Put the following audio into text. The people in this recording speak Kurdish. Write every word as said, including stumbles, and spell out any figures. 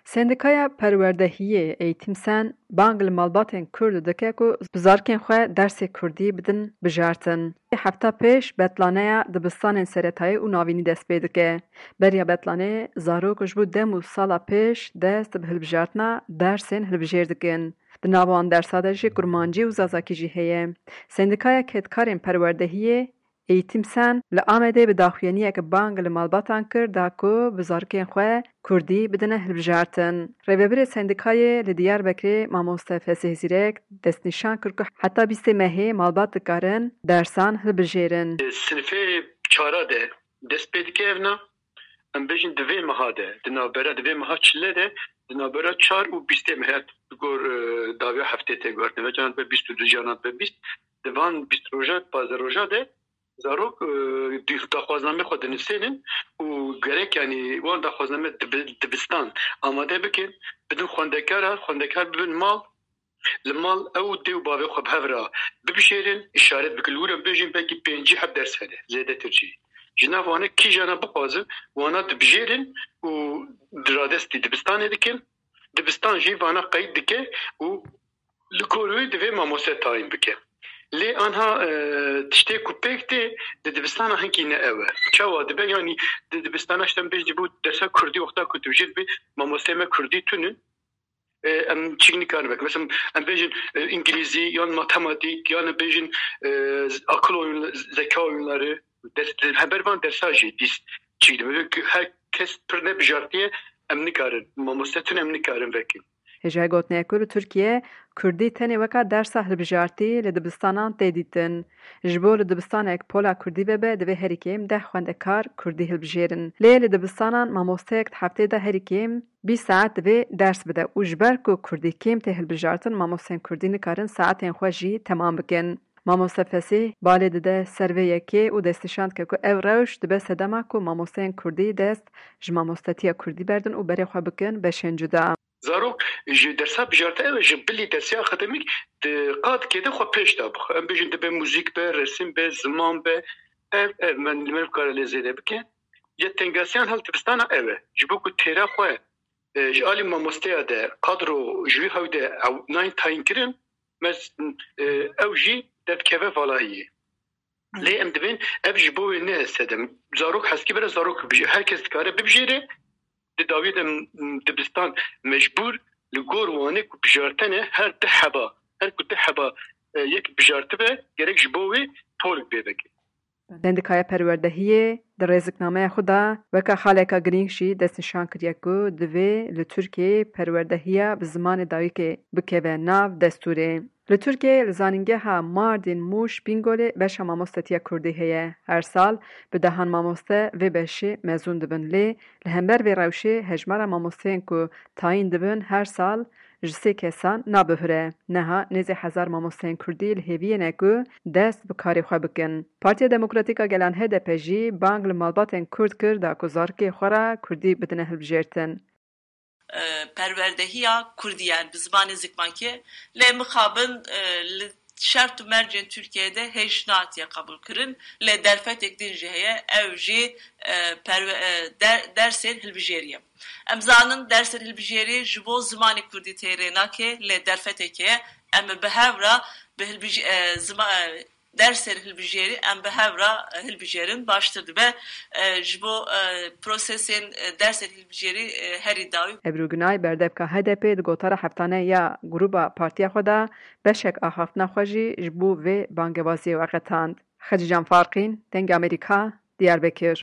Sendîkaya Perwerdehiyê Eğitim Sen bang li malbatên Kurd dike ku bi zarokên xwe dersê Kurdî bidin bijartin. Hefta pêş betlaneya dibistanên seretayî û navînî dest pê dike. Beriya betlanê zarok ji bo dem û sala pêş dest bi hilbijartina dersên hilbijêr dikin. Di nav wan dersa de jî kurmancî û zazakî jî heye. Sendîkaya Kedkarên Perwerdehiyê Eğitim Sen li Amedê bi daxuyaniyeke bang li malbatan kir da ku bi zarokên xwe Kurdî bidine hilbijartin. Rêvebirê sendîkayê li Diyarbekirê mamoste Fesih Zîrek destnîşan kir ku heta bîstê mehê malbat dikarin dersan hilbijêrin. Sinifê çara de dest pê dike evna, em bêjin di vê meha de, di navbera, di vê meha çile de, di navbera çar û bîstê mehê, di gor, e, dawiya heftê tê guhertin. Ve canan be bîst û du, canan be bîst. Di van bîst roja, pazdeh roja de zarok, e, di-, daxwazname xwe dinivsênin û gerek, yanî, wan daxwazname dibi-, dibistan amade bikin, bidin xwendekara, xwendekar bibin mal, li mal ew dê û bavê xwe bi hev re bibijêrin, îşaret bikin. Li wir em bêjin belkî pêncî heb ders hene, zêdetir jî. Ji nav wane kîjana bixwazin, wana dibijêrin û di radestî dibistanê dikin. Dibistan jî vana qeyd dike û li gor wê divê mamoste tayîn bike. Lê anha, e, tiştê ku pêk tê di dibistana hinkî ne ew e. Çawa dibe? Yanî di dibistana, işte, em bêjin, ji bo dersa kurdî wexta ku dibijêr dibê mamosteyê me kurdî tune. E, em çîk nikarin vekin. Mesela em bêjin, e, îngilîzî yan matematîk yan em bêjin, e, akıl oyun, zeka oyunları. Ders, li hember van dersa jî dîs çîk dibe. Her kes pir ne bijartiye, em nikarin. Mamoste tune em nikarin vekin. Hêjayê gotinê ye ku li Tirkiye Kurdî tenê weka dersa hilbijartî li dibistanan tê dîtin. Ji bo li dibistanek pola Kurdî vebe, divê herî kêm deh xwendekar Kurdî hilbijêrin. Lê li dibistanan mamosteyek di heftê de herî kêm bîst saet divê ders bide û ji ber ku Kurdî kêm tê hilbijartin, mamosteyên Kurdî nikarin saetên xwe jî temam bikin. Mamoste Fesîh balê dide ser vê yekê û destnîşan dike ku ev rewş dibe sedema ku mamosteyên Kurdî dest ji mamostetiya Kurdî berdin û berê xwe bikin beşên cuda. Zarok ji dersa bijartin, ew ji bilî dersê akademîk di qadkê de xwe pêş de bixwe. Em bêjin dibe muzîk be, resim be, ziman be, ev, ev, me, me nikare lê zêde bike. Ya tengasiyan hel dibistana ew e. Ji bo ku têra xwe, e, ji alî mamosteya de kadro ji wî hew de ew nayên tayîn kirin, me, e, ew jî derdikeve valayiyê. Lê em divên ev ji bo wê ne sedem. Zarok heskî bire, zarok bibijê-, her kes dikare bibijêre. Di dawiyê de, m-, dibistan mecbûr li gor wanê ku bijartene her deh heba, her ku deh heba, e, yek bijartibe, gerek ji bo wê polik bê veke. Sendîkaya Perwerdehiyê di rêziknameya xwe de weke xaleka girîng jî destnîşan kiriye ku divê li Tirkiyeyê perwerdehiya bi zimanê dayikê bikeve nav destûrê. Li Tirkiyeyê li zanîngeha Mardîn, Mûş, Bîngolê beşa mamostetiya Kurdî heye. Her sal bi dehan mamoste vê beşê mezûn dibin, lê li hember vê rewşê hejmara mamosteyên ku tayîn dibin her sal ji sê kesan nabihure. Niha nêzî hezar mamosteyên Kurdî li hêviyê ne ku dest bi karê xwe bikin. Partiya Demokratîk a Gelan, H D P, jî bang li malbatên Kurd kir da ku zarokê xwe re Kurdî bidine hilbijêrtin. E, perwerdehiya Kurdî, yani bi zimanê zikmakê, lê mixabin, e, li şert û mercên Tirkiyeyê de hêj nehatiye qebûlkirin, lê derfetek din jî heye, ew jî, e, perwe-, e, der-, dersên hilbijêrî ye. Em zanin dersên hilbijêrî ji bo zimanê Kurdî tê rê nake, lê derfetekê em bi hev re bi hilbij-, e, zima-, e, dersên hilbijêrî em bi hev re, e, hilbijêrin, baştir dibe, e, ji bo, e, prosesên, e, dersên hilbijêrî, e, herî dawî. Ebru Gunay, berdevka H D P, di gotara heftane ya grûba partiya xwe de beşek axaftina xwe jî ji bo vê bangewaziyê veqetand. Xecîcan Farqîn, Dengê Amerîka, Diyarbekir.